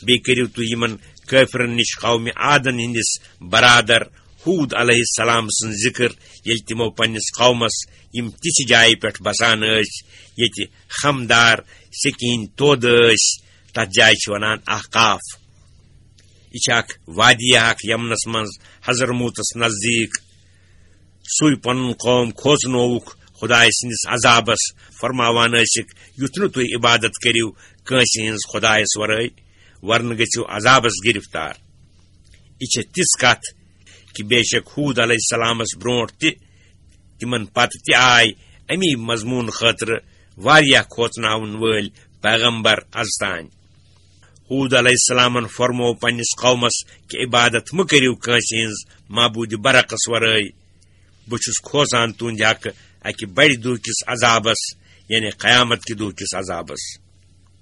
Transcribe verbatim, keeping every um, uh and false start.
بیٚیہِ کٔرِو تُہۍ یِمن کٲفرن نِش قومِ عادن ہٕنٛدِس برادر ہوٗد علیہ السلام سٕنٛز ذِکر، ییٚلہِ تِمو پننِس قومس یِم تِژھِ جایہِ پٮ۪ٹھ بسان ٲسۍ، ییٚتہِ خمدار سکیٖن تودٕ ٲسۍ، تتھ جایہِ چھِ ونان احقاف۔ یہِ چھِ اکھ وادی اکھ یمنس منٛز حضرموتس نزدیٖک۔ سُے پنُن قوم کھوژنووُکھ خدایہِ سٕنٛدِس عذابس، فرماوان ٲسِکھ، یُتھ نہٕ تُہۍ عبادت کٔرِو کٲنٛسہِ ہٕنٛز خدایس ورٲے، ورنہٕ گٔژھِو عذابس گرفتار۔ یہِ چھےٚ تِژھ کتھ کہِ بے شک ہوٗد علیہ السلامس برونٛٹھ تہِ، تِمن پتہٕ تہِ آے امی مضموٗن خٲطرٕ واریاہ کھوژناون وٲلۍ پیغمبر از تام۔ ہوٗد علیہ السلامن فرموو پننِس قومس کہِ عبادت مہٕ کٔرِو کٲنٛسہِ ہٕنٛز معبوٗدِ برحقس ورٲے۔ بہٕ چھُس کھوژان تُہنٛدِ حقہٕ اکہِ بڑِ دۄہ کِس عذابس، یعنی قیامت کہِ دۄہ کِس عذابس۔